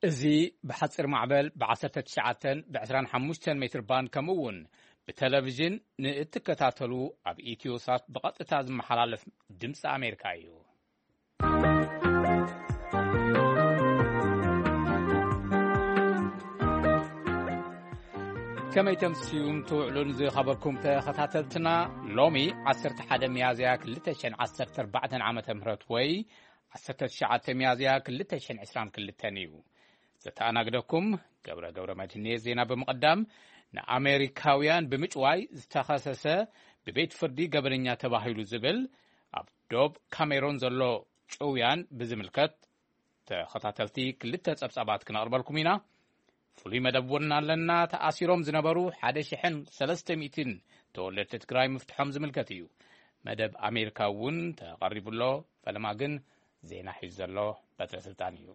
እዚ ብሓጺር ማዕበል ብ19 ብ25 ሜትር ባንድ ከምኡ እውን ብቴሌቪዥን ንእትከታተሉ ኣብ ኢትዮ ሳት ብቐጥታ ዝመሓላለፍ ድምፂ ኣሜሪካ እዩ። ከመይ ተምስዩን ትውዕሉን ዝኸበርኩም ተኸታተልትና፣ ሎሚ 11 ሚያዝያ 2014 ዓመተ ምህረት ወይ 19 ሚያዝያ 2022 እዩ። ዘተኣናግደኩም ገብረ ገብረ መድህን እየ። ዜና ብምቕዳም፣ ንኣሜሪካውያን ብምጭዋይ ዝተኸሰሰ ብቤት ፍርዲ ገበነኛ ተባሂሉ ዝብል ኣብ ዶብ ካሜሮን ዘሎ ጭውያን ብዝምልከት ተኸታተልቲ ክልተ ጸብጻባት ክነቕርበልኩም ኢና። ፍሉይ መደብ እውን ኣለና። ተኣሲሮም ዝነበሩ 1,300 ተወለድቲ ትግራይ ምፍትሖም ዝምልከት እዩ። መደብ ኣሜሪካ እውን ተቐሪቡ ኣሎ። ፈለማ ግን ዜና ሒዙ ዘሎ በትረ ስልጣን እዩ።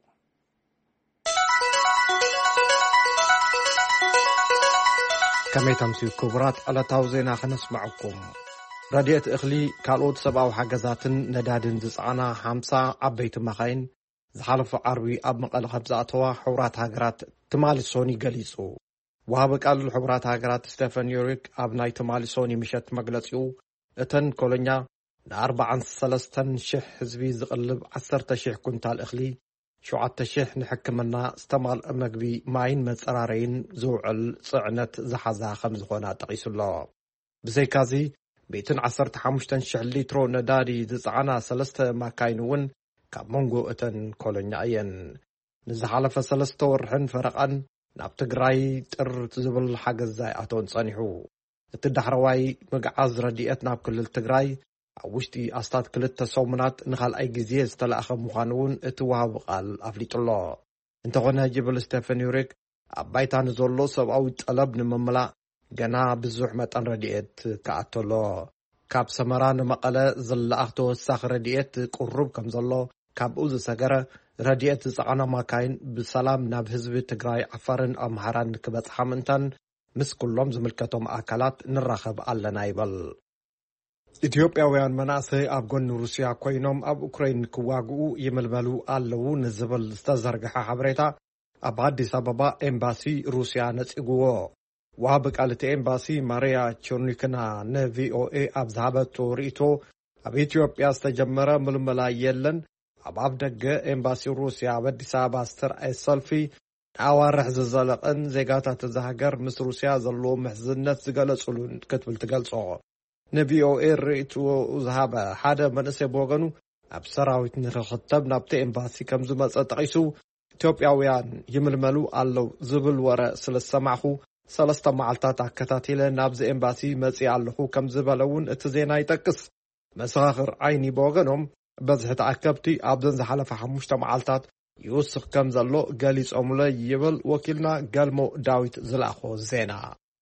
ከመይ ተምስዩ ክቡራት፣ ዕለታዊ ዜና ከነስምዐኩም። ረድኤት እኽሊ፣ ካልኦት ሰብኣዊ ሓገዛትን ነዳድን ዝጸዓና ሓምሳ ዓበይቲ መኻይን ዝሓለፈ ዓርቢ ኣብ መቐለ ከም ዝኣተዋ ሕቡራት ሃገራት ትማሊ ሶኒ ገሊጹ። ወሃቢ ቃል ሕቡራት ሃገራት ስቴፈን ዩሪክ ኣብ ናይ ትማሊ ሶኒ ምሸት መግለጺኡ፣ እተን ኮሎኛ ን43,000 ህዝቢ ዝቕልብ 10,000 ኩንታል እኽሊ፣ 7,000 ንሕክምና፣ ዝተማልአ መግቢ፣ ማይን መጸራረይን ዝውዕል ጽዕነት ዝሓዛ ከም ዝኾና ጠቒሱ ኣሎ። ብዘይካዚ፣ 115,000 ሊትሮ ነዳዲ ዝጸዓና ሰለስተ ማካይን እውን ካብ መንጎ እተን ኮሎኛ እየን። ንዝሓለፈ ሰለስተ ወርሕን ፈረቓን ናብ ትግራይ ጥር ዝብል ሓገዝ ኣይኣተወን ጸኒሑ። እቲ ዳሕረዋይ ምግዓዝ ረድኤት ናብ ክልል ትግራይ ኣብ ውሽጢ ኣስታት ክልተ ሰሙናት ንኻልኣይ ግዜ ዝተላእኸ ምዃኑ እውን እቲ ወሃቢ ቃል ኣፍሊጡ ኣሎ። እንተኾነ፣ ጅብል ስቴፈን ዩሪክ፣ ኣብ ባይታ ንዘሎ ሰብኣዊ ጠለብ ንምምላእ ገና ብዙሕ መጠን ረድኤት ክኣቶ ኣሎ። ካብ ሰመራ ንመቐለ ዝለኣኽ ተወሳኺ ረድኤት ቅሩብ ከም ዘሎ፣ ካብኡ ዝሰገረ ረድኤት ዝጸዓና ማካይን ብሰላም ናብ ህዝቢ ትግራይ፣ ዓፋርን ኣምሓራን ክበጽሓ ምእንታን ምስ ኩሎም ዝምልከቶም ኣካላት ንራኸብ ኣለና ይበል። ኢትዮጵያውያን መናእሰይ ኣብ ጎኒ ሩስያ ኮይኖም ኣብ ኡክራይን ክዋግኡ ይምልመሉ ኣለዉ ንዝብል ዝተዘርግሐ ሓበሬታ ኣብ ኣዲስ ኣበባ ኤምባሲ ሩስያ ነጺግዎ። ወሃቢ ቃል እቲ ኤምባሲ ማርያ ቸርኒክና ንቪኦኤ ኣብ ዝሃበቶ ርእይቶ፣ ኣብ ኢትዮጵያ ዝተጀመረ ምልመላ የለን። ኣብ ኣፍ ደገ ኤምባሲ ሩስያ ኣብ ኣዲስ ኣበባ ዝተርኣየ ሰልፊ ንኣዋርሕ ዝዘለቐን ዜጋታት እዛ ሃገር ምስ ሩስያ ዘለዎ ምሕዝነት ዝገለጹሉን ክትብል ትገልጾ። ንቪኦኤ ርእይትኡ ዝሃበ ሓደ መንእሰይ ብወገኑ፣ ኣብ ሰራዊት ንክኽተብ ናብቲ ኤምባሲ ከም ዝመጸ ጠቒሱ፣ ኢትዮጵያውያን ይምልመሉ ኣለዉ ዝብል ወረ ስለ ዝሰማዕኹ፣ ሰለስተ መዓልታት ኣከታቲለ ናብዚ ኤምባሲ መጺእ ኣለኹ ከም ዝበለ እውን እቲ ዜና ይጠቅስ። መሰኻኽር ዓይኒ ብወገኖም፣ በዝሒ ተኣከብቲ ኣብዘን ዝሓለፈ ሓሙሽተ መዓልታት ይውስኽ ከም ዘሎ ገሊጾምለ ይብል ወኪልና ገልሞ ዳዊት ዝለኣኾ ዜና።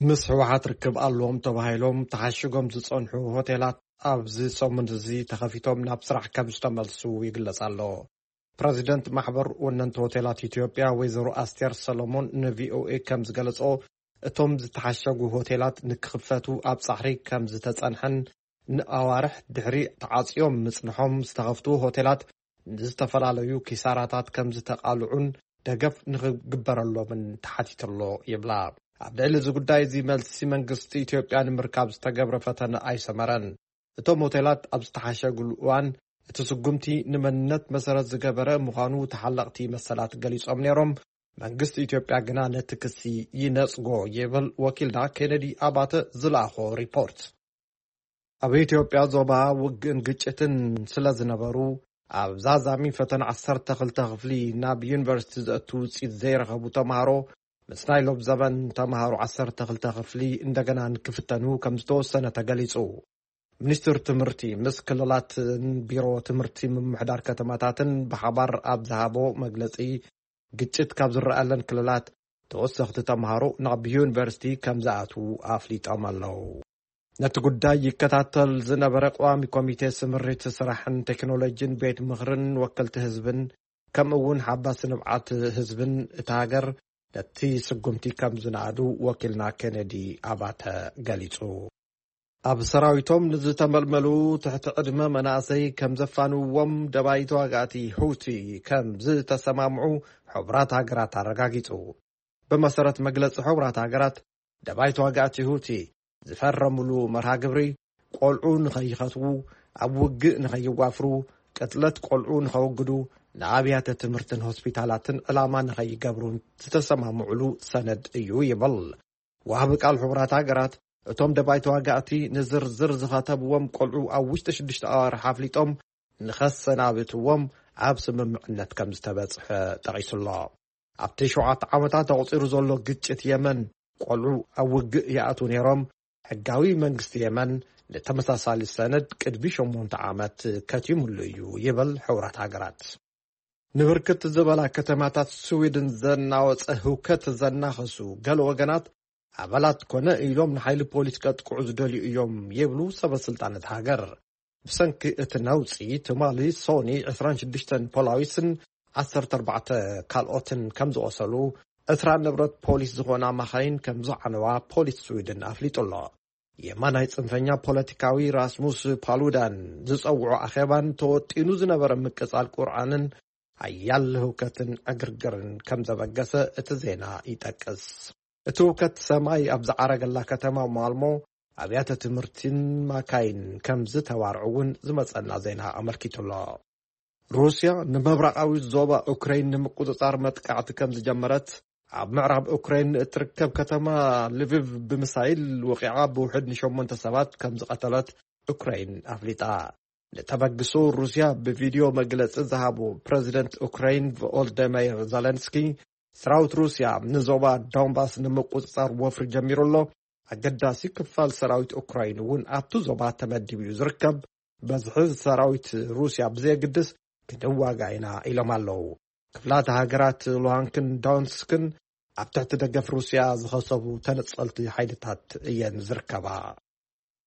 ምስ ህወሓት ርክብ ኣለዎም ተባሂሎም ተሓሽጎም ዝጸንሑ ሆቴላት ኣብዚ ሰሙን እዚ ተኸፊቶም ናብ ስራሕ ከም ዝተመልሱ ይግለጽ ኣሎ። ፕረዚደንት ማሕበር ወነንቲ ሆቴላት ኢትዮጵያ ወይዘሮ ኣስቴር ሰሎሞን ንቪኦኤ ከም ዝገለጾ፣ እቶም ዝተሓሸጉ ሆቴላት ንክኽፈቱ ኣብ ጻዕሪ ከም ዝተጸንሐን ንኣዋርሕ ድሕሪ ተዓጽዮም ምጽንሖም ዝተኸፍቱ ሆቴላት ንዝተፈላለዩ ኪሳራታት ከም ዝተቓልዑን ደገፍ ንኽግበረሎምን ተሓቲትሎ ይብላ። ኣብ ልዕሊ እዚ ጉዳይ እዚ መልሲ መንግስቲ ኢትዮጵያ ንምርካብ ዝተገብረ ፈተነ ኣይሰመረን። እቶም ሆቴላት ኣብ ዝተሓሸግሉ እዋን እቲ ስጉምቲ ንመንነት መሰረት ዝገበረ ምዃኑ ተሓለቕቲ መሰላት ገሊጾም ነይሮም። መንግስቲ ኢትዮጵያ ግና ነቲ ክሲ ይነጽጎ ይብል ወኪልና ኬነዲ ኣባተ ዝለኣኾ ሪፖርት። ኣብ ኢትዮጵያ ዞባ ውግእን ግጭትን ስለ ዝነበሩ፣ ኣብ ዛዛሚ ፈተና 12 ክፍሊ ናብ ዩኒቨርሲቲ ዘእቱ ውፅኢት ዘይረኸቡ ተምሃሮ፣ ምስ ናይ ሎብ ዘበን ተምሃሮ 12 ክፍሊ እንደገና ንክፍተኑ ከም ዝተወሰነ ተገሊጹ። ሚኒስትር ትምህርቲ ምስ ክልላትን ቢሮ ትምህርቲ ምምሕዳር ከተማታትን ብሓባር ኣብ ዝሃቦ መግለጺ፣ ግጭት ካብ ዝረኣለን ክልላት ተወሰኽቲ ተምሃሮ ናብ ዩኒቨርሲቲ ከም ዝኣትዉ ኣፍሊጦም ኣለዉ። ነቲ ጉዳይ ይከታተል ዝነበረ ቀዋሚ ኮሚቴ ስምሪት ስራሕን ቴክኖሎጂን ቤት ምኽርን ወከልቲ ህዝብን፣ ከምኡ እውን ሓባሲ ንብዓት ህዝብን እታ ሃገር ነቲ ስጉምቲ ከም ዝነኣዱ ወኪልና ኬነዲ ኣባተ ገሊጹ። ኣብ ሰራዊቶም ንዝተመልመሉ ትሕቲ ዕድመ መናእሰይ ከም ዘፋንውዎም ደባይ ተዋጋእቲ ሁቲ ከም ዝተሰማምዑ ሕቡራት ሃገራት ኣረጋጊጹ። ብመሰረት መግለጺ ሕቡራት ሃገራት፣ ደባይ ተዋጋእቲ ሁቲ ዝፈረምሉ መርሃ ግብሪ፣ ቆልዑ ንኸይኸትዉ፣ ኣብ ውግእ ንኸይዋፍሩ፣ ቅትለት ቆልዑ ንኸወግዱ፣ ንኣብያተ ትምህርትን ሆስፒታላትን ዕላማ ንኸይገብሩን ዝተሰማምዑሉ ሰነድ እዩ ይብል። ወሃቢ ቃል ሕቡራት ሃገራት፣ እቶም ደባይ ተዋጋእቲ ንዝርዝር ዝኸተብዎም ቆልዑ ኣብ ውሽጢ ሽዱሽተ ኣዋርሕ ኣፍሊጦም ንኸሰናብትዎም ኣብ ስምምዕነት ከም ዝተበጽሐ ጠቒሱ ኣሎ። ኣብቲ ሸውዓተ ዓመታት ተቑጺሩ ዘሎ ግጭት የመን፣ ቆልዑ ኣብ ውግእ ይኣትዉ ነይሮም። ሕጋዊ መንግስቲ የመን ንተመሳሳሊ ሰነድ ቅድሚ ሸሞንተ ዓመት ከቲሙሉ እዩ ይብል ሕቡራት ሃገራት። ንብርክት ዝበላ ከተማታት ስዊድን ዘናወጸ ህውከት ዘናኸሱ ገለ ወገናት፣ ኣባላት ኮነ ኢሎም ንሓይሊ ፖሊስ ከጥቅዑ ዝደልዩ እዮም ይብሉ ሰበ ስልጣን እቲ ሃገር። ብሰንኪ እቲ ነውጺ፣ ትማሊ ሶኒ ዕስራን ሽዱሽተን ፖላዊስን ዓሰርተ ኣርባዕተ ካልኦትን ከም ዝቖሰሉ፣ ዕስራ ንብረት ፖሊስ ዝኾና ማኻይን ከም ዝዓነዋ ፖሊስ ስዊድን ኣፍሊጡ ኣሎ። የማናይ ጽንፈኛ ፖለቲካዊ ራስሙስ ፓሉዳን ዝጸውዖ ኣኼባን ተወጢኑ ዝነበረ ምቅጻል ቁርኣንን ሓያል ህውከትን ዕግርግርን ከም ዘበገሰ እቲ ዜና ይጠቅስ። እቲ ህውከት ሰማይ ኣብ ዝዓረገላ ከተማ ማልሞ፣ ኣብያተ ትምህርትን ማካይን ከም ዝተባርዑ እውን ዝመጸና ዜና ኣመልኪቱ ኣሎ። ሩስያ ንምብራቓዊ ዞባ ኡክራይን ንምቁጽጻር መጥቃዕቲ ከም ዝጀመረት፣ ኣብ ምዕራብ ኡክራይን እትርከብ ከተማ ልቪቭ ብምሳይል ወቒዓ ብውሕድ ንሸሞንተ ሰባት ከም ዝቐተለት ኡክራይን ኣፍሊጣ። ንተበግሶ ሩስያ ብቪድዮ መግለጺ ዝሃቡ ፕረዚደንት ኡክራይን ቮሎዲሚር ዘለንስኪ፣ ሰራዊት ሩስያ ንዞባ ዶንባስ ንምቁጽጻር ወፍሪ ጀሚሩ ኣሎ፣ ኣገዳሲ ክፋል ሰራዊት ኡክራይን እውን ኣብቲ ዞባ ተመዲቡ እዩ ዝርከብ። በዝሒ ሰራዊት ሩስያ ብዘየግድስ ክንዋጋ ኢና ኢሎም ኣለዉ። ክፍላተ ሃገራት ሉሃንክን ዶንስክን ኣብ ትሕቲ ደገፍ ሩስያ ዝኸሰቡ ተነጸልቲ ሓይልታት እየን ዝርከባ።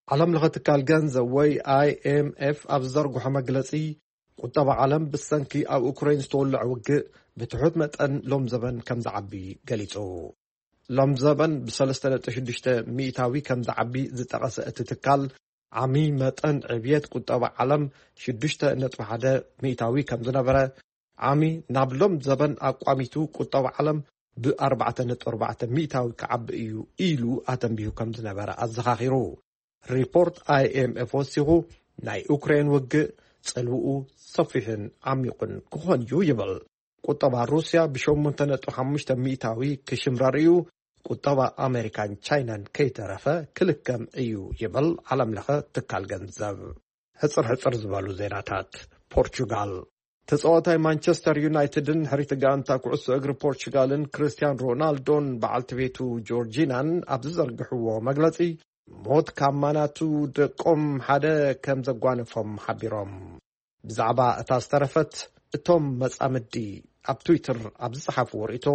ዓለም ለኸ ትካል ገንዘብ ወይ ኣይኤምኤፍ ኣብ ዝዘርግሖ መግለጺ፣ ቁጠባ ዓለም ብሰንኪ ኣብ ኡክራይን ዝተወልዐ ውግእ ብትሑት መጠን ሎም ዘበን ከም ዝዓቢ ገሊጹ። ሎም ዘበን ብሰለስተ ነጥቢ ሽዱሽተ ሚእታዊ ከም ዝዓቢ ዝጠቐሰ እቲ ትካል፣ ዓሚ መጠን ዕብየት ቁጠባ ዓለም ሽዱሽተ ነጥቢ ሓደ ሚእታዊ ከም ዝነበረ፣ ዓሚ ናብ ሎም ዘበን ኣቋሚቱ ቁጠባ ዓለም ብኣርባዕተ ነጥቢ ኣርባዕተ ሚእታዊ ክዓቢ እዩ ኢሉ ኣተንቢሁ ከም ዝነበረ ኣዘኻኺሩ። ሪፖርት ኣይኤምኤፍ ወሲኹ፣ ናይ ኡክሬን ውግእ ጽልውኡ ሰፊሕን ዓሚቑን ክኾን እዩ ይብል። ቁጠባ ሩስያ ብሸሞንተ ነጥቢ ሓሙሽተ ሚእታዊ ክሽምረር እዩ። ቁጠባ ኣሜሪካን ቻይናን ከይተረፈ ክልከም እዩ ይብል ዓለም ለኸ ትካል ገንዘብ። ሕጽር ሕጽር ዝበሉ ዜናታት። ፖርቹጋል። ተጻዋታይ ማንቸስተር ዩናይትድን ሕሪት ጋንታ ኩዕሶ እግሪ ፖርቹጋልን ክርስቲያን ሮናልዶን በዓልቲ ቤቱ ጆርጂናን ኣብ ዝዘርግሕዎ መግለጺ፣ ሞት ካብ ማናቱ ደቆም ሓደ ከም ዘጓነፎም ሓቢሮም። ብዛዕባ እታ ዝተረፈት፣ እቶም መጻምዲ ኣብ ትዊተር ኣብ ዝጸሓፍዎ ርእይቶ፣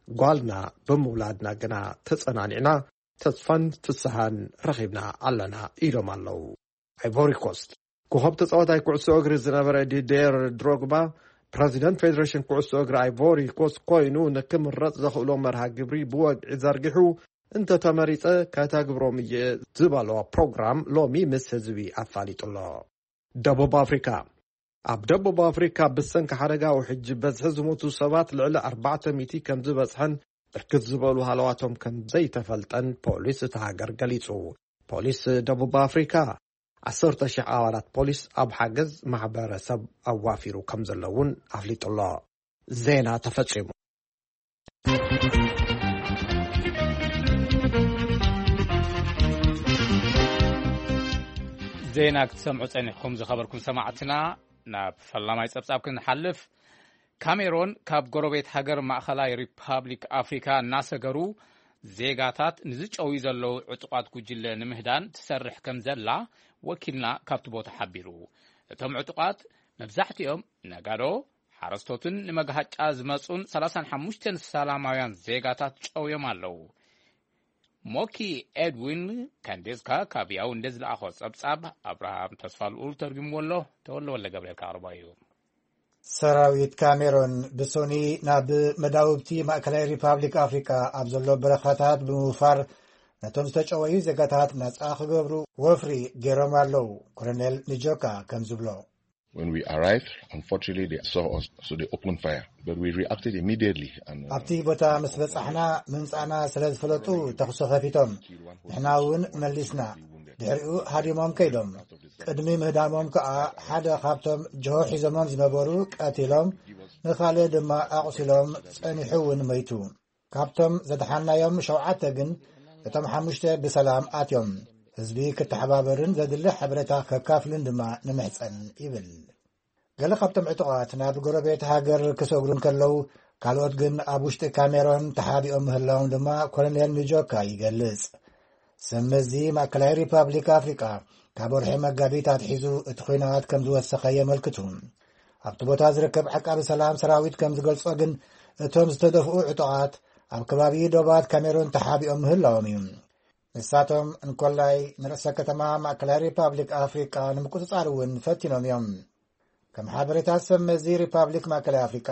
ጓልና ብምውላድና ግና ተጸናኒዕና፣ ተስፋን ፍስሃን ረኺብና ኣለና ኢሎም ኣለዉ። ኣይቮሪ ኮስት። ኮኸብ ተጻዋታይ ኩዕሶ እግሪ ዝነበረ ዲዴር ድሮግባ፣ ፕረዚደንት ፌደሬሽን ኩዕሶ እግሪ ኣይቮሪ ኮስት ኮይኑ ንክምረጽ ዘኽእሎ መርሃ ግብሪ ብወግዒ ዘርጊሑ፣ እንተተመሪጸ ከተግብሮም እየ ዝበሎ ፕሮግራም ሎሚ ምስ ህዝቢ ኣፋሊጡ ኣሎ። ደቡብ ኣፍሪካ። ኣብ ደቡብ ኣፍሪካ ብሰንኪ ሓደጋ ውሕጅ በዝሒ ዝሞቱ ሰባት ልዕሊ ኣርባዕተ ሚእቲ ከም ዝበጽሐን ብርክት ዝበሉ ሃለዋቶም ከም ዘይተፈልጠን ፖሊስ እታ ሃገር ገሊጹ። ፖሊስ ደቡብ ኣፍሪካ ዓሰርተ ሺሕ ኣባላት ፖሊስ ኣብ ሓገዝ ማሕበረሰብ ኣዋፊሩ ከም ዘሎ እውን ኣፍሊጡ ኣሎ። ዜና ተፈጺሙ። ዜና ክትሰምዑ ጸኒሕኩም ዝኸበርኩም ሰማዕትና፣ ናብ ፈላማይ ጸብጻብ ክንሓልፍ። ካሜሮን ካብ ጎረቤት ሃገር ማእኸላይ ሪፓብሊክ ኣፍሪካ እናሰገሩ ዜጋታት ንዝጨውዩ ዘለዉ ዕጡቓት ጉጅለ ንምህዳን ትሰርሕ ከም ዘላ ወኪልና ካብቲ ቦታ ሓቢሩ። እቶም ዕጡቓት መብዛሕትኦም ነጋዶ፣ ሓረስቶትን ንመግሃጫ ዝመጹን ሰላሳን ሓሙሽተን ሰላማውያን ዜጋታት ጨውዮም ኣለዉ። ሞኪ ኤድዊን ካንዴዝካ ካብ ያውንዴ ዝለኣኾ ጸብጻብ ኣብርሃም ተስፋ ልኡል ተርጉምዎ ኣሎ። ተወልደ ወልደ ገብርኤል ከቕርቦ እዩ። ሰራዊት ካሜሮን ብሶኒ ናብ መዳውብቲ ማእከላይ ሪፓብሊክ ኣፍሪቃ ኣብ ዘሎ በረኻታት ብምውፋር ነቶም ዝተጨወዩ ዜጋታት ናጻ ክገብሩ ወፍሪ ገይሮም ኣለዉ። ኮሎኔል ንጆካ ከም ዝብሎ። When we arrived, unfortunately, they saw us, so they opened fire. But we reacted immediately. And, uh, ኣብቲ ቦታ ምስ በጻሕና፣ ምምጻእና ስለ ዝፈለጡ ተኹሲ ከፊቶም። ንሕና እውን መሊስና። ድሕሪኡ ሃዲሞም ከይዶም። ቅድሚ ምህዳሞም ከኣ ሓደ ካብቶም ጀሆ ሒዞሞም ዝነበሩ ቀቲሎም፣ ንኻልእ ድማ ኣቑሲሎም፣ ጸኒሑ እውን መይቱ። ካብቶም ዘድሓንናዮም ሸውዓተ ግን፣ እቶም ሓሙሽተ ብሰላም ኣትዮም። ህዝቢ ክተሓባበርን ዘድሊ ሓበሬታ ከካፍልን ድማ ንምሕጸን፣ ይብል። ገለ ካብቶም ዕጡቓት ናብ ጎረቤት ሃገር ክሰግሩ እንከለዉ፣ ካልኦት ግን ኣብ ውሽጢ ካሜሮን ተሓቢኦም ምህላዎም ድማ ኮሎኔል ንጆካ ይገልጽ። ሰብ መዚ ማእከላይ ሪፓብሊክ ኣፍሪቃ ካብ ወርሒ መጋቢት ኣትሒዙ እቲ ኲናት ከም ዝወሰኸ የመልክቱ። ኣብቲ ቦታ ዝርከብ ዓቃቢ ሰላም ሰራዊት ከም ዝገልጾ ግን፣ እቶም ዝተደፍኡ ዕጡቓት ኣብ ከባቢ ዶባት ካሜሩን ተሓቢኦም ምህላዎም እዩ። ንሳቶም እንኮላይ ንርእሰ ከተማ ማእከላይ ሪፓብሊክ ኣፍሪቃ ንምቁጽጻር እውን ፈቲኖም እዮም። ከም ሓበሬታ ሰብ መዚ ሪፓብሊክ ማእከላይ ኣፍሪቃ፣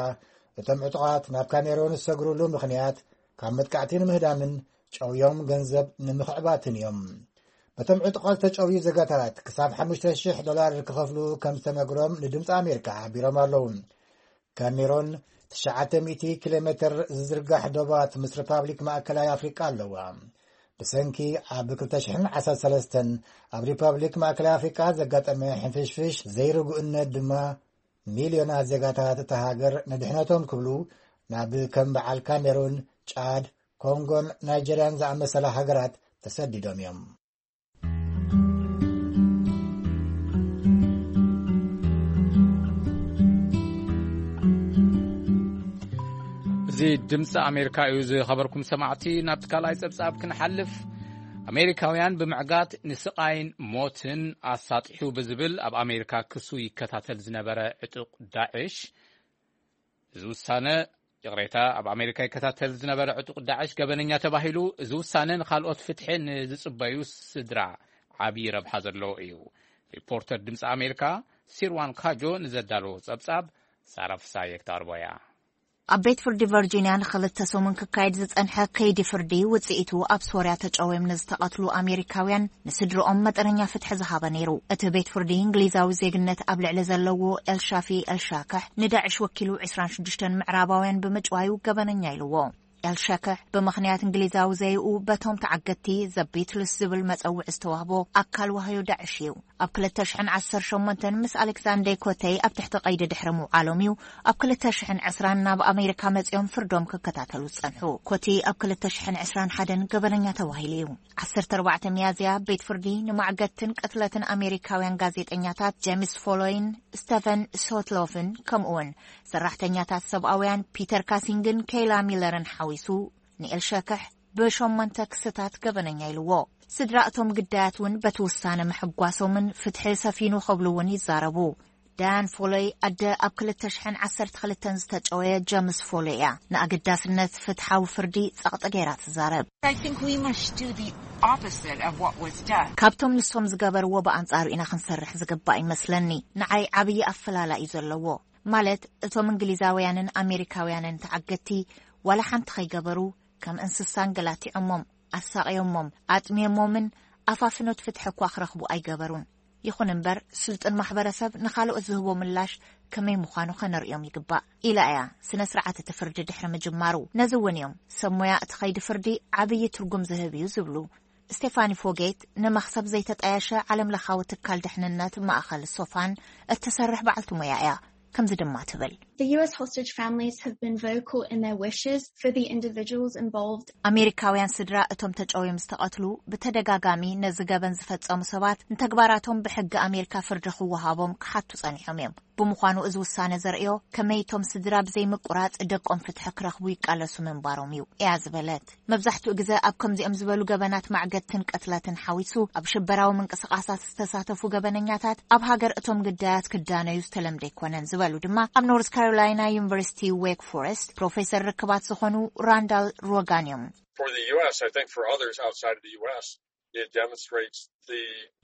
እቶም ዕጡቓት ናብ ካሜሩን ዝሰግሩሉ ምኽንያት ካብ መጥቃዕቲ ንምህዳምን ጨውዮም ገንዘብ ንምኽዕባትን እዮም። በቶም ዕጡቓት ዝተጨውዩ ዜጋታት ክሳብ ሓሙሽተ ሽሕ ዶላር ክኸፍሉ ከም ዝተነግሮም ንድምፂ ኣሜሪካ ሓቢሮም ኣለዉ። ካሜሮን ትሽዓተ ሚእቲ ኪሎ ሜትር ዝዝርጋሕ ዶባት ምስ ሪፓብሊክ ማእከላይ ኣፍሪቃ ኣለዋ። ብሰንኪ ኣብ ክልተ ሽሕን ዓሰርተ ሰለስተን ኣብ ሪፓብሊክ ማእከላይ ኣፍሪቃ ዘጋጠመ ሕንፍሽፍሽ ዘይርጉእነት ድማ፣ ሚልዮናት ዜጋታት እታ ሃገር ንድሕነቶም ክብሉ ናብ ከም በዓል ካሜሩን፣ ጫድ፣ ኮንጎን ናይጀርያን ዝኣመሰላ ሃገራት ተሰዲዶም እዮም። እዚ ድምፂ ኣሜሪካ እዩ። ዝኸበርኩም ሰማዕቲ፣ ናብቲ ካልኣይ ጸብጻብ ክንሓልፍ፣ ኣሜሪካውያን ብምዕጋት ንስቓይን ሞትን ኣሳጢሑ ብዝብል ኣብ ኣሜሪካ ክሱ ይከታተል ዝነበረ ዕጡቕ ዳዕሽ፣ እዚ ውሳነ፣ ይቕሬታ፣ ኣብ ኣሜሪካ ይከታተል ዝነበረ ዕጡቕ ዳዕሽ ገበነኛ ተባሂሉ፣ እዚ ውሳነ ንኻልኦት ፍትሒ ንዝጽበዩ ስድራ ዓብዪ ረብሓ ዘለዎ እዩ። ሪፖርተር ድምፂ ኣሜሪካ ሲርዋን ካጆ ንዘዳለዎ ጸብጻብ ሳራ ፍሳየ ክተቕርቦ እያ። ኣብ ቤት ፍርዲ ቨርጂንያ ንኽልተ ሰሙን ክካየድ ዝጸንሐ ከይዲ ፍርዲ፣ ውጽኢቱ ኣብ ሶርያ ተጨውዮም ንዝተቐትሉ ኣሜሪካውያን ንስድርኦም መጠነኛ ፍትሒ ዝሃበ ነይሩ። እቲ ቤት ፍርዲ፣ እንግሊዛዊ ዜግነት ኣብ ልዕሊ ዘለዎ ኤልሻፊ ኤልሻክሕ፣ ንዳዕሽ ወኪሉ ዕስራን ሽዱሽተን ምዕራባውያን ብምጭዋዩ ገበነኛ ኢልዎ። ኤልሻክሕ ብምኽንያት እንግሊዛዊ ዘይኡ በቶም ተዓገትቲ ዘ ቢትልስ ዝብል መጸውዒ ዝተዋህቦ ኣካል ዋህዮ ዳዕሽ እዩ። ኣብ ክልተ ሽሕን ዓሰርተ ሸሞንተን ምስ ኣሌክሳንደር ኮተይ ኣብ ትሕቲ ቀይዲ ድሕሪ ምውዓሎም እዩ ኣብ ክልተ ሽሕን ዕስራን ናብ ኣሜሪካ መጺኦም ፍርዶም ክከታተሉ ዝጸንሑ። ኮቲ ኣብ ክልተ ሽሕን ዕስራን ሓደን ገበነኛ ተባሂሉ እዩ። ዓሰርተ ኣርባዕተ ሚያዝያ ቤት ፍርዲ ንማዕገትን ቅትለትን ኣሜሪካውያን ጋዜጠኛታት ጄምስ ፎሎይን፣ ስቴፈን ሶትሎፍን፣ ከምኡውን ሰራሕተኛታት ሰብኣውያን ፒተር ካሲንግን ኬይላ ሚለርን ሓዊሱ፣ ንኤልሸክሕ ብሸሞንተ ክስታት ገበነኛ ኢልዎ። ስድራ እቶም ግዳያት እውን በቲ ውሳነ ምሕጓሶምን ፍትሒ ሰፊኑ ክብሉ እውን ይዛረቡ። ዳያን ፎሎይ ኣደ ኣብ ክልተ ሽሕን ዓሰርተ ክልተን ዝተጨወየ ጀምስ ፎሎይ እያ። ንኣገዳስነት ፍትሓዊ ፍርዲ ጸቕጢ ገይራ ትዛረብ። I think we must do the opposite of what was done. ካብቶም ንሶም ዝገበርዎ ብኣንጻሩ ኢና ክንሰርሕ ዝግባእ ይመስለኒ። ንዓይ ዓብዪ ኣፈላላይ እዩ ዘለዎ። ማለት እቶም እንግሊዛውያንን ኣሜሪካውያንን ተዓገቲ ዋላ ሓንቲ ከይገበሩ ከም እንስሳ እንገላቲዖሞም፣ ኣሳቕዮሞም፣ ኣጥምዮሞምን ኣፋፍኖት ፍትሒ እኳ ክረኽቡ ኣይገበሩን። ይኹን እምበር ስልጡን ማሕበረሰብ ንኻልኦት ዝህቦ ምላሽ ከመይ ምዃኑ ከነርእዮም ይግባእ ኢላ እያ ስነ ስርዓት እቲ ፍርዲ ድሕሪ ምጅማሩ። ነዚ እውን እዮም ሰብ ሞያ እቲ ከይዲ ፍርዲ ዓብዪ ትርጉም ዝህብ እዩ ዝብሉ። ስቴፋኒ ፎጌት ንመኽሰብ ዘይተጣየሸ ዓለም ለኻዊ ትካል ድሕንነት ማእኸል ሶፋን እትሰርሕ በዓልቲ ሞያ እያ። ከምዚ ድማ ትብል። The U S hostage families have been vocal in their wishes for the individuals involved. ኣሜሪካውያን ስድራ እቶም ተጨውዮም ዝተቐትሉ ብተደጋጋሚ ነዚ ገበን ዝፈጸሙ ሰባት ንተግባራቶም ብሕጊ ኣሜሪካ ፍርዲ ክወሃቦም ክሓቱ ጸኒሖም እዮም። ብምዃኑ እዚ ውሳነ ዘርእዮ ከመይ እቶም ስድራ ብዘይ ምቁራጽ ደቆም ፍትሒ ክረኽቡ ይቃለሱ ምንባሮም እዩ እያ ዝበለት። መብዛሕትኡ ግዘ ኣብ ከምዚኦም ዝበሉ ገበናት ማዕገትን ቅትለትን ሓዊሱ ኣብ ሽበራዊ ምንቅስቃሳት ዝተሳተፉ ገበነኛታት ኣብ ሃገር እቶም ግዳያት ክዳነዩ ዝተለምደ ኣይኮነን ዝበሉ ድማ ኣብ ኖርዝ ካሮላይና ዩኒቨርሲቲ ዌክ ፎረስት ፕሮፌሰር ርክባት ዝኾኑ ራንዳል ሮጋን እዮም። For the U S, I think for others outside of the U S, it demonstrates the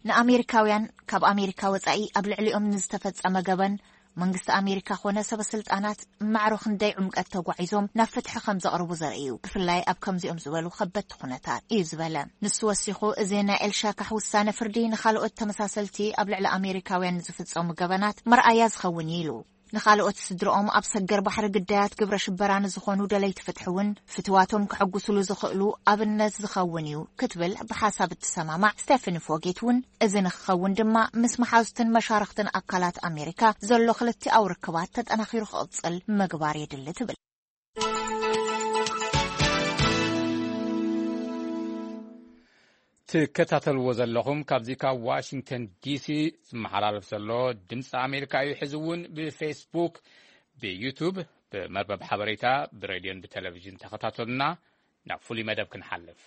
ንኣሜሪካውያን ካብ ኣሜሪካ ወጻኢ ኣብ ልዕሊኦም ንዝተፈጸመ ገበን መንግስቲ ኣሜሪካ ኮነ ሰበ ስልጣናት ማዕሮ ክንደይ ዕምቀት ተጓዒዞም ናብ ፍትሒ ከም ዘቕርቡ ዘርኢ እዩ፣ ብፍላይ ኣብ ከምዚኦም ዝበሉ ከበድቲ ኩነታት፣ እዩ ዝበለ። ንሱ ወሲኹ፣ እዚ ናይ ኤልሻካሕ ውሳነ ፍርዲ ንኻልኦት ተመሳሰልቲ ኣብ ልዕሊ ኣሜሪካውያን ንዝፍጸሙ ገበናት መርኣያ ዝኸውን እዩ ኢሉ። ንኻልኦት ስድርኦም ኣብ ሰገር ባሕሪ ግዳያት ግብረ ሽበራ ንዝኾኑ ደለይቲ ፍትሒ እውን ፍትዋቶም ከሐጉስሉ ዝኽእሉ ኣብነት ዝኸውን እዩ ክትብል ብሓሳብ እትሰማማዕ ስቴፈኒ ፎጌት እውን፣ እዚ ንክኸውን ድማ ምስ መሓዙትን መሻርኽትን ኣካላት ኣሜሪካ ዘሎ ክልቲኣዊ ርክባት ተጠናኺሩ ክቕጽል ምግባር የድሊ ትብል። ትከታተልዎ ዘለኹም ካብዚ ካብ ዋሽንግተን ዲሲ ዝመሓላለፍ ዘሎ ድምፂ ኣሜሪካ እዩ። ሕዚ እውን ብፌስቡክ፣ ብዩቱብ፣ ብመርበብ ሓበሬታ፣ ብሬድዮን ብቴሌቪዥን ተኸታተሉና። ናብ ፍሉይ መደብ ክንሓልፍ።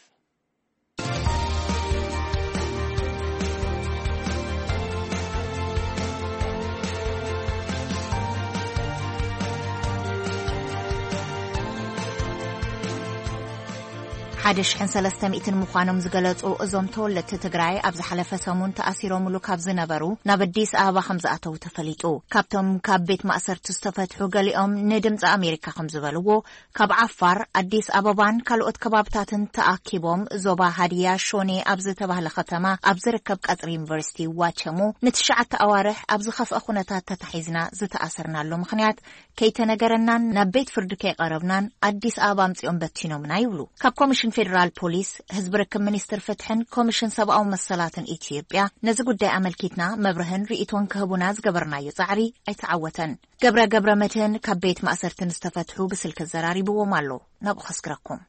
ሓደ ሽሕን ሰለስተ ሚእትን ምዃኖም ዝገለጹ እዞም ተወለድቲ ትግራይ፣ ኣብ ዝሓለፈ ሰሙን ተኣሲሮምሉ ካብ ዝነበሩ ናብ ኣዲስ ኣበባ ከም ዝኣተዉ ተፈሊጡ። ካብቶም ካብ ቤት ማእሰርቲ ዝተፈትሑ ገሊኦም ንድምፂ ኣሜሪካ ከም ዝበልዎ፣ ካብ ዓፋር ኣዲስ ኣበባን ካልኦት ከባብታትን ተኣኪቦም ዞባ ሃዲያ ሾኔ ኣብ ዝተባህለ ከተማ ኣብ ዝርከብ ቀጽሪ ዩኒቨርሲቲ ዋቸሞ ንትሽዓተ ኣዋርሕ ኣብ ዝኸፍአ ኩነታት ተታሒዝና ዝተኣሰርናሉ ምኽንያት ከይተነገረናን ናብ ቤት ፍርዲ ከይቐረብናን ኣዲስ ኣበባ ኣምጺኦም በቲኖምና ይብሉ። ካብ ኮሚሽን ፌዴራል ፖሊስ፣ ህዝቢ ርክብ ሚኒስትር ፍትሕን ኮሚሽን ሰብኣዊ መሰላትን ኢትዮጵያ ነዚ ጉዳይ ኣመልኪትና መብርህን ርእይቶን ክህቡና ዝገበርናዮ ጻዕሪ ኣይተዓወተን። ገብረ ገብረ መድህን ካብ ቤት ማእሰርቲ ንዝተፈትሑ ብስልኪ ዘራሪብዎም ኣሎ። ናብኡ ከስግረኩም።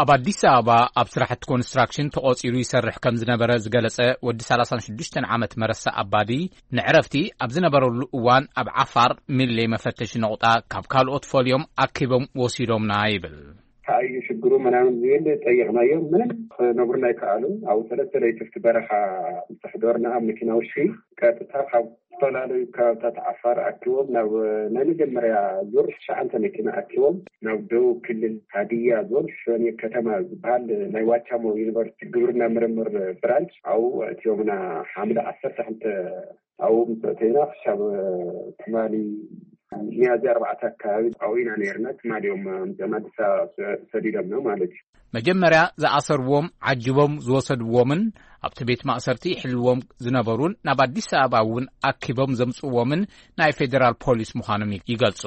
ኣብ ኣዲስ ኣበባ ኣብ ስራሕቲ ኮንስትራክሽን ተቖጺሩ ይሰርሕ ከም ዝነበረ ዝገለጸ ወዲ ሰላሳን ሽዱሽተን ዓመት መረሳ ኣባዲ፣ ንዕረፍቲ ኣብ ዝነበረሉ እዋን ኣብ ዓፋር ሚሌ መፈተሺ ነቑጣ ካብ ካልኦት ፈልዮም ኣኪቦም ወሲዶምና ይብል። ከኣዩ ሽግሩ ምናምን ዝብል ጠየቕናዮም፣ ምንም ክነግሩና ኣይከኣሉን። ኣብ ሰለስተ ለይቲ ኣብቲ በረኻ ምስ ኣሕደርና፣ ኣብ መኪና ውሽጢ ቀጥታ ካብ ዝተፈላለዩ ከባብታት ዓፋር ኣኪቦም ናብ ናይ መጀመርያ ዙር ትሽዓተ መኪና ኣኪቦም ናብ ደቡብ ክልል ሃዲያ ዞን ሾኔ ከተማ ዝበሃል ናይ ዋቻሞ ዩኒቨርሲቲ ግብርና ምርምር ብራንች ኣብኡ ኣእትዮምና። ሓምለ ዓሰርተ ክልተ ኣብኡ ምስ ኣእተዩና ክሻብ ትማሊ ሚያዝያ ኣርባዕተ ኣካባቢ ኣብኡ ኢና ነይርና። ትማሊ እዮም ኣምፅኦም ኣዲስ ኣበባ ሰዲዶምና ማለት እዩ። መጀመርያ ዝኣሰርዎም ዓጅቦም ዝወሰድዎምን ኣብቲ ቤት ማእሰርቲ ይሕልዎም ዝነበሩን ናብ ኣዲስ ኣበባ እውን ኣኪቦም ዘምጽእዎምን ናይ ፌዴራል ፖሊስ ምዃኖም ይገልጹ።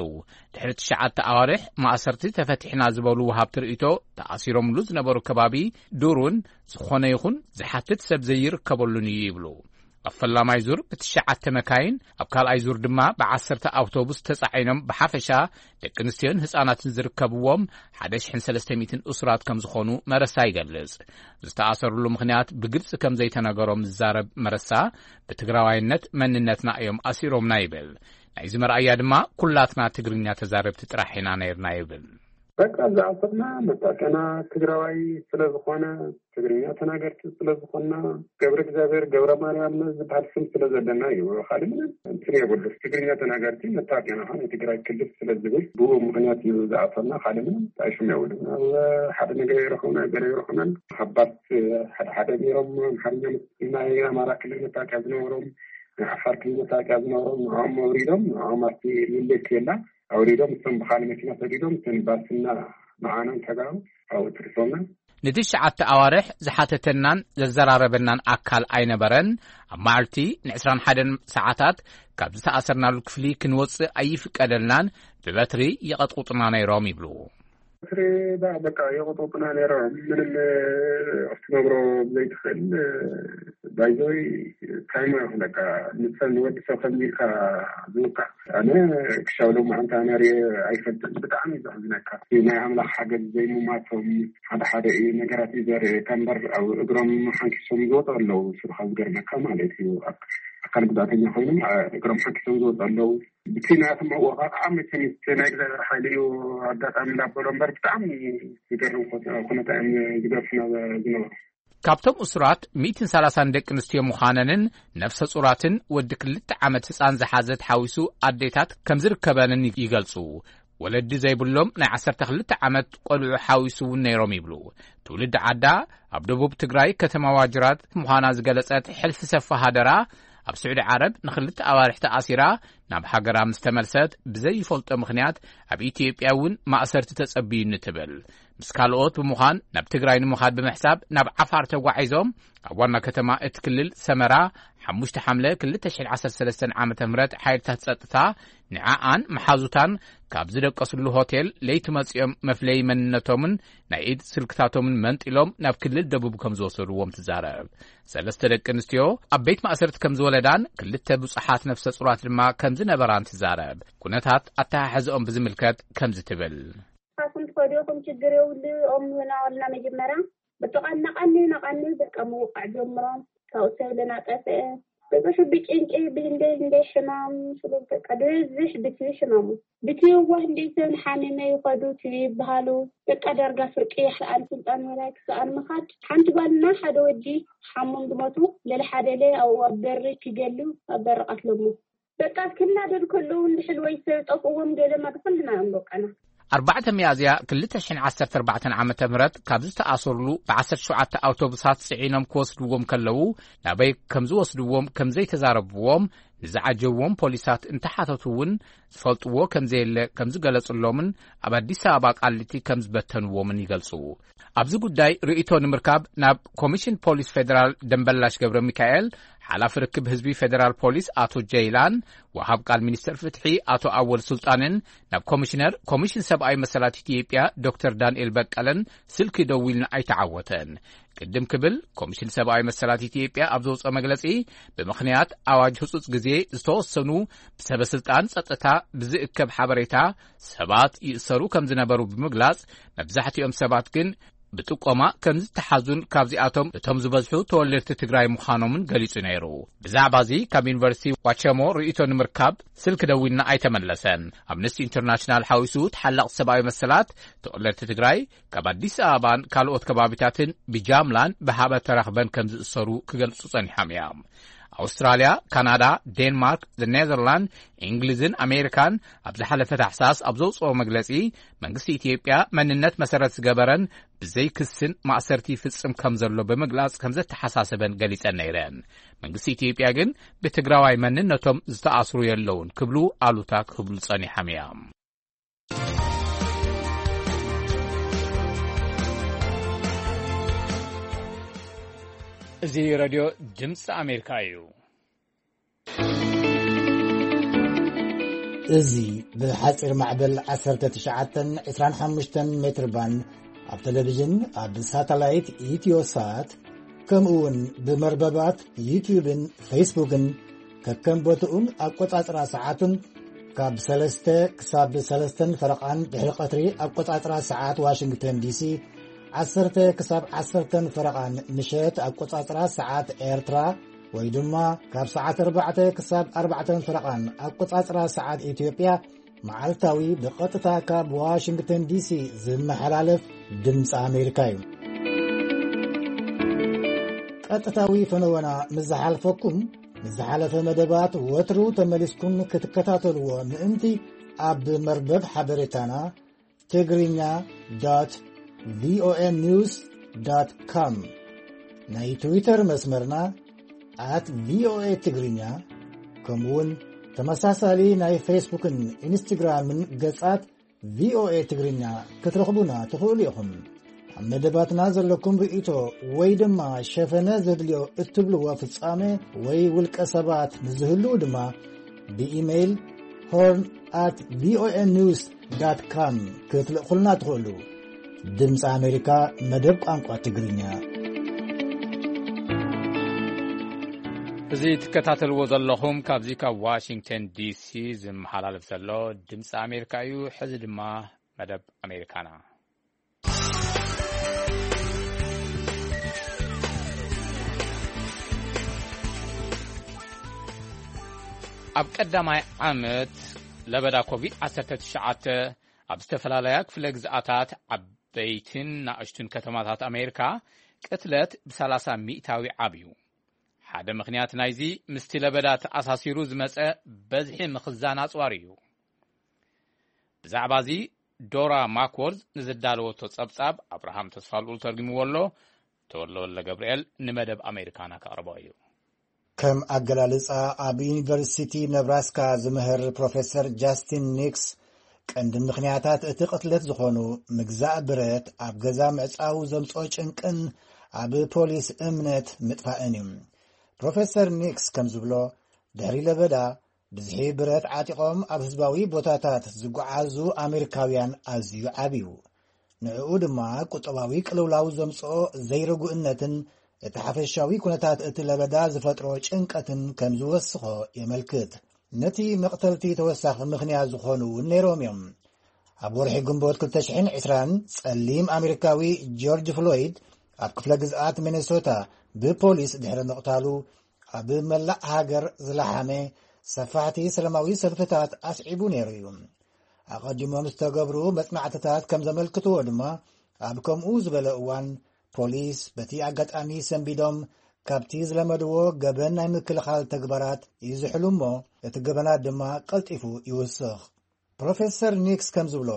ድሕሪ ትሽዓተ ኣዋርሕ ማእሰርቲ ተፈቲሕና ዝበሉ ወሃብቲ ርእይቶ፣ ተኣሲሮምሉ ዝነበሩ ከባቢ ዱሩን ዝኾነ ይኹን ዝሓትት ሰብ ዘይርከበሉን እዩ ይብሉ። ኣብ ፈላማይ ዙር ብትሽዓተ መካይን፣ ኣብ ካልኣይ ዙር ድማ ብዓሰርተ ኣውቶቡስ ተጻዒኖም ብሓፈሻ ደቂ ኣንስትዮን ህጻናትን ዝርከብዎም ሓደ ሽሕን ሰለስተ ሚእትን እሱራት ከም ዝኾኑ መረሳ ይገልጽ። ዝተኣሰሩሉ ምኽንያት ብግልጺ ከም ዘይተነገሮም ዝዛረብ መረሳ፣ ብትግራዋይነት መንነትና እዮም ኣሲሮምና ይብል። ናይዚ መርኣያ ድማ ኩላትና ትግርኛ ተዛረብቲ ጥራሕ ኢና ነይርና ይብል። በቃ ዝኣሰርና መታወቂያና ትግራዋይ ስለ ዝኾነ፣ ትግርኛ ተናገርቲ ስለ ዝኾንና፣ ገብረ እግዚኣብሔር ገብረ ማርያም ዝበሃል ስም ስለ ዘለና እዩ። ካልእ ምንም እንትን የብሉ። ትግርኛ ተናገርቲ መታወቂያና ኸዓ ናይ ትግራይ ክልል ስለ ዝብል ብኡ ምኽንያት እዩ ዝኣሰርና። ካልእ ምንም ጣይሹም የብሉ። ኣብ ሓደ ነገር ይረኸብና ገለ ይረኸብናን ሃባት ሓደ ሓደ ነይሮም ኣምሓርኛ ናይ ኣማራ ክልል መታወቂያ ዝነበሮም፣ ናይ ዓፋር ክልል መታወቂያ ዝነበሮም ንዕኦም ኣውሪዶም፣ ንዕኦም ኣብቲ ምልክት የላ ኣውሪዶም፣ እቶም ብኻልእ መኪና ሰዲዶም፣ እተን ባስና መዓናን ተጋሩ ኣብኡ ትሪፎምና። ንትሽዓተ ኣዋርሕ ዝሓተተናን ዘዘራረበናን ኣካል ኣይነበረን። ኣብ መዓልቲ ንዕስራን ሓደን ሰዓታት ካብ ዝተኣሰርናሉ ክፍሊ ክንወጽእ ኣይፍቀደልናን፣ ብበትሪ ይቐጥቁጡና ነይሮም ይብሉ። በትሪ ዳ በቃ የቐጥቁጡና ነይሮም። ምንም ክትነግሮ ዘይትኽእል ባይዘወይ ታይማ ይኹን በቃ ንሰብ ንወዲ ሰብ ከምዚ ኢልካ ዝውቃዕ ኣነ ክሻብ ሎማዓንቲ ኣነ ርኤ ኣይፈልጥን። ብጣዕሚ እዩ ዘሕዝነካ። ናይ ኣምላኽ ሓገዝ ዘይምማቶም ሓደ ሓደ እዩ ነገራት እዩ ዘርእየካ እምበር ኣብ እግሮም ሓንኪሶም ዝወጡ ኣለዉ። ስብኻ ዝገርመካ ማለት እዩ። ኣክ- ኣካል ጉዳተኛ ኮይኖም ኣ- እግሮም ሓንኪሶም ዝወጡ ኣለዉ። ብቲ ናያቶም ኣወቃቕዓ መቸም እቲ ናይ እግዚኣብሔር ሓይሊ እዩ ኣጋጣሚ እንዳበሎ እምበር ብጣዕሚ ዝገርም ኩ- ኩነታ እዮም ዝገርፉና ዝነበሩ። ካብቶም እሱራት ሚእትን ሰላሳን ደቂ ኣንስትዮ ምዃነንን ነፍሰ ጹራትን ወዲ ክልተ ዓመት ህጻን ዝሓዘት ሓዊሱ ኣዴታት ከም ዝርከበንን ይገልጹ። ወለዲ ዘይብሎም ናይ ዓሰርተ ክልተ ዓመት ቆልዑ ሓዊሱ እውን ነይሮም ይብሉ። ትውልዲ ዓዳ ኣብ ደቡብ ትግራይ ከተማ ዋጅራት ምዃና ዝገለጸት ሕልፊ ሰፋ ሃደራ ኣብ ስዑዲ ዓረብ ንኽልተ ኣዋርሕ ተኣሲራ ናብ ሃገራ ምስ ተመልሰት፣ ብዘይፈልጦ ምኽንያት ኣብ ኢትዮጵያ እውን ማእሰርቲ ተጸብዩኒ ትብል። ምስ ካልኦት ብምዃን ናብ ትግራይ ንምኻድ ብምሕሳብ ናብ ዓፋር ተጓዒዞም፣ ኣብ ዋና ከተማ እቲ ክልል ሰመራ ሓሙሽተ ሓምለ ክልተ ሽሕን ዓሰርተ ሰለስተን ዓመተ ምህረት ሓይልታት ጸጥታ ንዓኣን መሓዙታን ካብ ዝደቀስሉ ሆቴል ለይቲ መጺኦም መፍለዪ መንነቶምን ናይ ኢድ ስልክታቶምን መንጢሎም ናብ ክልል ደቡብ ከም ዝወሰድዎም ትዛረብ። ሰለስተ ደቂ ኣንስትዮ ኣብ ቤት ማእሰርቲ ከም ዝወለዳን ክልተ ብዙሓት ነፍሰ ጹራት ድማ ከም ዝነበራን ትዛረብ። ኩነታት ኣተሓሕዝኦም ብዝምልከት ከምዚ ትብል። ንስኻትኩም ትኸዱ ኢኹም፣ ችግር የብሉ፣ ኦም ናበልና መጀመርያ በቃ እናቐንዩ እናቐንዩ በቃ ምውቃዕ ጀምሮም። ካብኡ ሰብ ለናጠፍአ ብዙሕ ብጭንቂ ብህንደይ ህንደይ ሕማም ስሉ በቃ ብብዝሕ ብቲ ሕማሙ ብቲ እዋ ህንደይ ሰብ ንሓሚመ ይኸዱ ትዩ ይበሃሉ። በቃ ዳርጋ ፍርቂ ይሕልኣን ስልጣን ወላይ ክሰኣን ምኻድ። ሓንቲ ጓልና ሓደ ወዲ ሓሞም ዝሞቱ ለለ ሓደለ ኣብኡ ኣብ በሪ ክገሉ ኣብ በሪ ቀትሎሞ። በቃ ክናደዱ ከለዉ እንድሕል ወይ ሰብ ጠፍእዎም ገለ ማድ ኩልና እዮም በቃና። ኣርባዕተ ሚያዝያ ክልተ ሽሕን ዓሰርተ ኣርባዕተን ዓመተ ምህረት ካብ ዝተኣሰሩሉ ብዓሰርተ ሸውዓተ ኣውቶቡሳት ጽዒኖም ክወስድዎም ከለዉ ናበይ ከም ዝወስድዎም ከም ዘይተዛረብዎም ንዝዓጀብዎም ፖሊሳት እንተሓተቱ እውን ዝፈልጥዎ ከም ዘየለ ከም ዝገለጽሎምን ኣብ ኣዲስ ኣበባ ቃሊቲ ከም ዝበተንዎምን ይገልጹ። ኣብዚ ጉዳይ ርእይቶ ንምርካብ ናብ ኮሚሽን ፖሊስ ፌደራል ደንበላሽ ገብረ ሚካኤል፣ ሓላፊ ርክብ ህዝቢ ፌደራል ፖሊስ ኣቶ ጀይላን፣ ወሃብ ቃል ሚኒስተር ፍትሒ ኣቶ ኣወል ሱልጣንን ናብ ኮሚሽነር ኮሚሽን ሰብኣዊ መሰላት ኢትዮጵያ ዶክተር ዳንኤል በቀለን ስልኪ ደዊልና ኣይተዓወተን። ቅድም ክብል ኮሚሽን ሰብኣዊ መሰላት ኢትዮጵያ ኣብ ዘውፅኦ መግለፂ፣ ብምኽንያት ኣዋጅ ህፁፅ ግዜ ዝተወሰኑ ብሰበ ስልጣን ፀጥታ ብዝእከብ ሓበሬታ ሰባት ይእሰሩ ከም ዝነበሩ ብምግላፅ፣ መብዛሕትኦም ሰባት ግን ብጥቆማ ከም ዝተሓዙን ካብዚኣቶም እቶም ዝበዝሑ ተወለድቲ ትግራይ ምዃኖምን ገሊጹ ነይሩ። ብዛዕባ እዚ ካብ ዩኒቨርሲቲ ዋቸሞ ርእይቶ ንምርካብ ስልኪ ደዊልና ኣይተመለሰን። ኣምነስቲ ኢንተርናሽናል ሓዊሱ ተሓላቕ ሰብኣዊ መሰላት ተወለድቲ ትግራይ ካብ ኣዲስ ኣበባን ካልኦት ከባቢታትን ብጃምላን ብሃበ ተራኽበን ከም ዝእሰሩ ክገልጹ ጸኒሖም እዮም። ኣውስትራልያ፣ ካናዳ፣ ዴንማርክ፣ ኔዘርላንድ፣ እንግሊዝን ኣሜሪካን ኣብ ዝሓለፈ ታሕሳስ ኣብ ዘውፅኦ መግለፂ፣ መንግስቲ ኢትዮጵያ መንነት መሰረት ዝገበረን ብዘይ ክስን ማእሰርቲ ይፍጽም ከም ዘሎ ብምግላጽ ከም ዘተሓሳሰበን ገሊጸን ነይረን። መንግስቲ ኢትዮጵያ ግን ብትግራዋይ መንነቶም ዝተኣስሩ የለውን ክብሉ ኣሉታ ክብሉ ጸኒሖም እዮም። እዚ ሬድዮ ድምፂ ኣሜሪካ እዩ። እዚ ብሓጺር ማዕበል ዓሰርተ ትሽዓተን ዕስራን ሓሙሽተን ሜትር ባንድ ኣብ ቴሌቪዥን፣ ኣብ ሳተላይት ኢትዮሳት፣ ከምኡ እውን ብመርበባት ዩትዩብን ፌስቡክን ከከም ቦትኡን ኣቆጻጽራ ሰዓቱን ካብ ሰለስተ ክሳብ ሰለስተን ፈረቓን ድሕሪ ቀትሪ ኣቆጻጽራ ሰዓት ዋሽንግተን ዲሲ፣ ዓሰርተ ክሳብ ዓሰርተን ፈረቓን ምሸት ኣቆጻጽራ ሰዓት ኤርትራ፣ ወይ ድማ ካብ ሰዓት ኣርባዕተ ክሳብ ኣርባዕተን ፈረቓን ኣቆጻጽራ ሰዓት ኢትዮጵያ መዓልታዊ ብቐጥታ ካብ ዋሽንግተን ዲሲ ዝመሓላለፍ ድምፂ ኣሜሪካ እዩ። ቀጥታዊ ፈነወና ምስ ዝሓልፈኩም፣ ምስ ዝሓለፈ መደባት ወትሩ ተመሊስኩም ክትከታተልዎ ምእንቲ ኣብ መርበብ ሓበሬታና ትግርኛ ዶት ቪኦኤ ኒውስ ዶት ኮም፣ ናይ ትዊተር መስመርና ኣት ቪኦኤ ትግርኛ፣ ከምኡውን ተመሳሳሊ ናይ ፌስቡክን ኢንስትግራምን ገጻት ቪኦኤ ትግርኛ ክትረኽቡና ትኽእሉ ኢኹም። ኣብ መደባትና ዘለኩም ርእይቶ ወይ ድማ ሸፈነ ዘድልዮ እትብልዎ ፍጻመ ወይ ውልቀ ሰባት ንዝህልዉ ድማ ብኢሜይል ሆርን ኣት ቪኦኤ ኒውስ ዳት ካም ክትልእኹልና ትኽእሉ። ድምፂ ኣሜሪካ መደብ ቋንቋ ትግርኛ። እዚ ትከታተልዎ ዘለኹም ካብዚ ካብ ዋሽንግተን ዲሲ ዝመሓላለፍ ዘሎ ድምፂ ኣሜሪካ እዩ። ሕዚ ድማ መደብ ኣሜሪካና። ኣብ ቀዳማይ ዓመት ለበዳ ኮቪድ ዓሰርተ ትሽዓተ ኣብ ዝተፈላለያ ክፍለ ግዝኣታት ዓበይትን ናእሽቱን ከተማታት ኣሜሪካ ቅትለት ብሰላሳ ሚእታዊ ዓብዩ። ሓደ ምኽንያት ናይዚ ምስቲ ለበዳ ተኣሳሲሩ ዝመጸ በዝሒ ምኽዛን ኣጽዋር እዩ። ብዛዕባ እዚ ዶራ ማክወርዝ ንዝዳለወቶ ጸብጻብ ኣብርሃም ተስፋልኡል ተርጉምዎ ኣሎ። ተወልደ ወልደ ገብርኤል ንመደብ ኣሜሪካና ከቕርቦ እዩ። ከም ኣገላልጻ ኣብ ዩኒቨርሲቲ ነብራስካ ዝምህር ፕሮፌሰር ጃስቲን ኒክስ፣ ቀንዲ ምኽንያታት እቲ ቅትለት ዝኾኑ ምግዛእ ብረት፣ ኣብ ገዛ ምዕጻው ዘምጽኦ ጭንቅን ኣብ ፖሊስ እምነት ምጥፋእን እዩ። ፕሮፌሰር ኒክስ ከም ዝብሎ፣ ድሕሪ ለበዳ ብዝሒ ብረት ዓጢቖም ኣብ ህዝባዊ ቦታታት ዝጓዓዙ ኣሜሪካውያን ኣዝዩ ዓብዩ። ንዕኡ ድማ ቁጠባዊ ቅልውላው ዘምጽኦ ዘይርጉእነትን እቲ ሓፈሻዊ ኩነታት እቲ ለበዳ ዝፈጥሮ ጭንቀትን ከም ዝወስኾ የመልክት። ነቲ መቕተልቲ ተወሳኺ ምኽንያት ዝኾኑ እውን ነይሮም እዮም። ኣብ ወርሒ ግንቦት ክልተ ሽሕን ዕስራን ጸሊም ኣሜሪካዊ ጆርጅ ፍሎይድ ኣብ ክፍለ ግዝኣት ሚኔሶታ ብፖሊስ ድሕሪ ምቕታሉ፣ ኣብ መላእ ሃገር ዝለሓመ ሰፋሕቲ ሰላማዊ ሰልፍታት ኣስዒቡ ነይሩ እዩ። ኣቐዲሞም ዝተገብሩ መጽናዕትታት ከም ዘመልክትዎ ድማ፣ ኣብ ከምኡ ዝበለ እዋን ፖሊስ በቲ ኣጋጣሚ ሰንቢዶም ካብቲ ዝለመድዎ ገበን ናይ ምክልኻል ተግባራት ይዝሕሉ እሞ፣ እቲ ገበናት ድማ ቀልጢፉ ይውስኽ። ፕሮፌሰር ኒክስ ከም ዝብሎ፣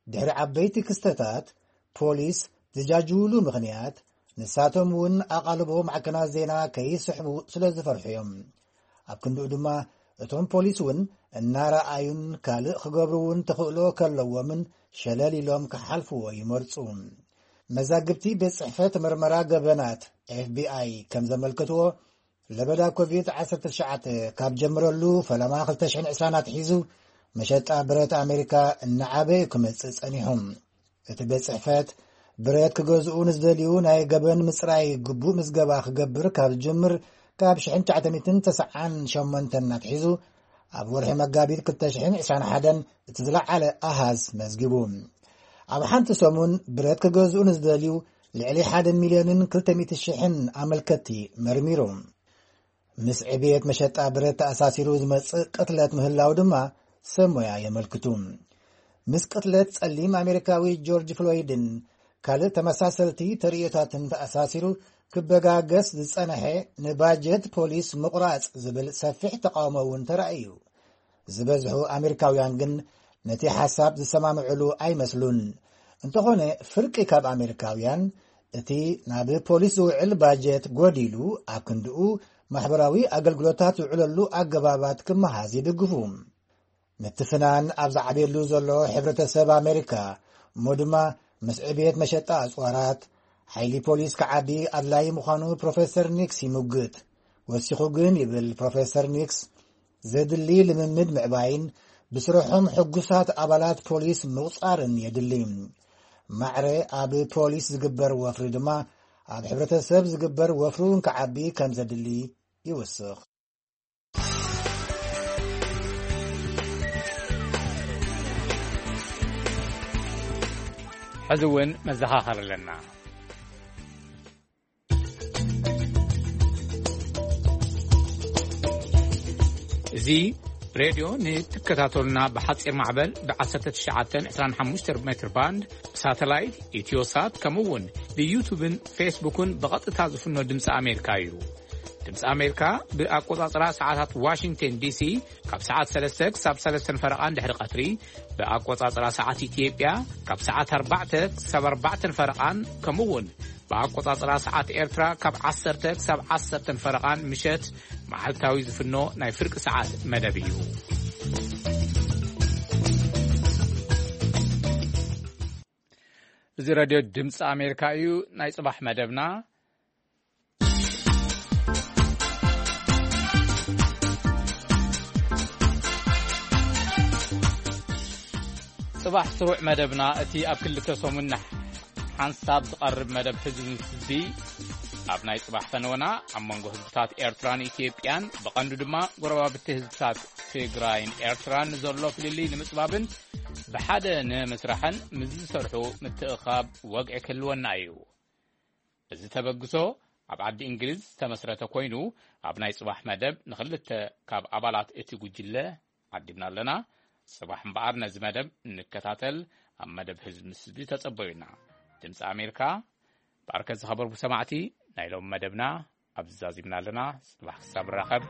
ድሕሪ ዓበይቲ ክስተታት፣ ፖሊስ ዝጃጅውሉ ምኽንያት፣ ንሳቶም እውን ኣቓልቦ ማዕከናት ዜና ከይስሕቡ ስለ ዝፈርሑ እዮም። ኣብ ክንድኡ ድማ፣ እቶም ፖሊስ እውን እናረኣዩን ካልእ ክገብሩ እውን ተኽእሎ ከለዎምን ሸለል ኢሎም ክሓልፍዎ ይመርጹ። መዛግብቲ ቤት ጽሕፈት መርመራ ገበናት፣ ኤፍ ቢ ኣይ፣ ከም ዘመልከትዎ፣ ለበዳ ኮቪድ ዓሰርተ ትሽዓተ ካብ ጀምረሉ ፈለማ ክልተ ሽሕን ዕስራን ኣትሒዙ፣ መሸጣ ብረት ኣሜሪካ እናዓበየ ክመጽእ ጸኒሑ። እቲ ቤት ጽሕፈት፣ ብረት ክገዝኡ ንዝደልዩ ናይ ገበን ምጽራይ ግቡእ ምዝገባ ክገብር ካብ ዝጅምር፣ ካብ ሽሕን ትሽዓተ ሚእትን ተስዓን ሸሞንተን ኣትሒዙ፣ ኣብ ወርሒ መጋቢት ክልተ ሽሕን ዕስራን ሓደን እቲ ዝለዓለ ኣሃዝ መዝጊቡ። ኣብ ሓንቲ ሰሙን ብረት ክገዝኡ ንዝደልዩ ልዕሊ ሓደ ሚልዮንን ክልተ ሚእቲ ሽሕን ኣመልከትቲ መርሚሩ። ምስ ዕብየት መሸጣ ብረት ተኣሳሲሩ ዝመጽእ ቅትለት ምህላው ድማ ሰብ ሞያ የመልክቱ። ምስ ቅትለት ጸሊም ኣሜሪካዊ ጆርጅ ፍሎይድን ካልእ ተመሳሰልቲ ተርእዮታትን ተኣሳሲሩ ክበጋገስ ዝጸንሐ ንባጀት ፖሊስ ምቑራጽ ዝብል ሰፊሕ ተቃውሞ እውን ተራእዩ። ዝበዝሑ ኣሜሪካውያን ግን ነቲ ሓሳብ ዝሰማምዕሉ ኣይመስሉን። እንተኾነ፣ ፍርቂ ካብ ኣሜሪካውያን እቲ ናብ ፖሊስ ዝውዕል ባጀት ጎዲሉ፣ ኣብ ክንድኡ ማሕበራዊ ኣገልግሎታት ዝውዕለሉ ኣገባባት ክመሃዝ ይድግፉ። ምትፍናን ኣብ ዝዓብየሉ ዘሎ ሕብረተሰብ ኣሜሪካ፣ እሞ ድማ ምስ ዕብየት መሸጣ ኣጽዋራት፣ ሓይሊ ፖሊስ ክዓቢ ኣድላዪ ምዃኑ ፕሮፌሰር ኒክስ ይምጉት። ወሲኹ ግን፣ ይብል ፕሮፌሰር ኒክስ፣ ዘድሊ ልምምድ ምዕባይን ብስርሖም ሕጉሳት ኣባላት ፖሊስ ምቑጻርን የድሊ። ማዕረ ኣብ ፖሊስ ዝግበር ወፍሪ ድማ ኣብ ሕብረተሰብ ዝግበር ወፍሪ እውን ክዓቢ ከም ዘድሊ ይውስኽ። ሕዚ እውን መዘኻኸር ኣለና። እዚ ሬድዮ ንትከታተሉና ብሓጺር ማዕበል ብ ዓሰርተ ትሽዓተ ዕስራን ሓሙሽተን ሜትር ባንድ፣ ብሳተላይት፣ ኢትዮሳት፣ ከምኡ እውን ብዩቱብን ፌስቡክን ብቐጥታ ዝፍኖ ድምፂ ኣሜሪካ እዩ። ድምፂ ኣሜሪካ ብኣቆጻጽራ ሰዓታት ዋሽንግተን ዲሲ ካብ ሰዓት ሰለስተ ክሳብ ሰለስተን ፈረቓን ድሕሪ ቀትሪ፣ ብኣቆጻጽራ ሰዓት ኢትዮጵያ ካብ ሰዓት ኣርባዕተ ክሳብ ኣርባዕተን ፈረቓን፣ ከምኡ እውን ብኣቆጻጽራ ሰዓት ኤርትራ ካብ ዓሰርተ ክሳብ ዓሰርተን ፈረቓን ምሸት መዓልታዊ ዝፍኖ ናይ ፍርቂ ሰዓት መደብ እዩ። እዚ ሬድዮ ድምፂ ኣሜሪካ እዩ። ናይ ጽባሕ መደብና ጽባሕ ስሩዕ መደብና፣ እቲ ኣብ ክልተ ሰሙን ሓንሳብ ዝቐርብ መደብ ህዝቢ ምስ ህዝቢ፣ ኣብ ናይ ጽባሕ ፈነወና ኣብ መንጎ ህዝብታት ኤርትራን ኢትዮጵያን፣ ብቐንዱ ድማ ጎረባብቲ ህዝብታት ትግራይን ኤርትራን ዘሎ ፍልልይ ንምጽባብን ብሓደ ንምስራሕን ምስ ዝሰርሑ ምትእኻብ ወግዒ ክህልወና እዩ። እዚ ተበግሶ ኣብ ዓዲ እንግሊዝ ዝተመስረተ ኮይኑ፣ ኣብ ናይ ጽባሕ መደብ ንኽልተ ካብ ኣባላት እቲ ጉጅለ ዓዲምና ኣለና። ጽባሕ እምበኣር ነዚ መደብ እንከታተል፣ ኣብ መደብ ህዝቢ ምስ ህዝቢ ተጸበዩና። ድምፂ ኣሜሪካ፣ ብኣርከ ዝኸበርኩ ሰማዕቲ፣ ናይ ሎም መደብና ኣብዚ ዛዚምና ኣለና። ጽባሕ ክሳብ ንራኸብ፣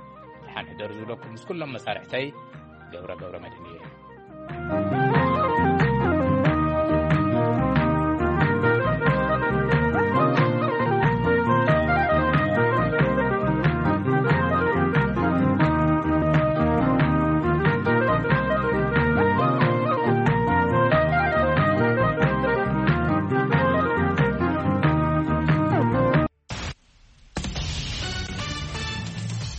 ደሓን ሕደሩ ዝብለኩም ምስ ኩሎም መሳርሕተይ ገብረ ገብረ መድህን እየ።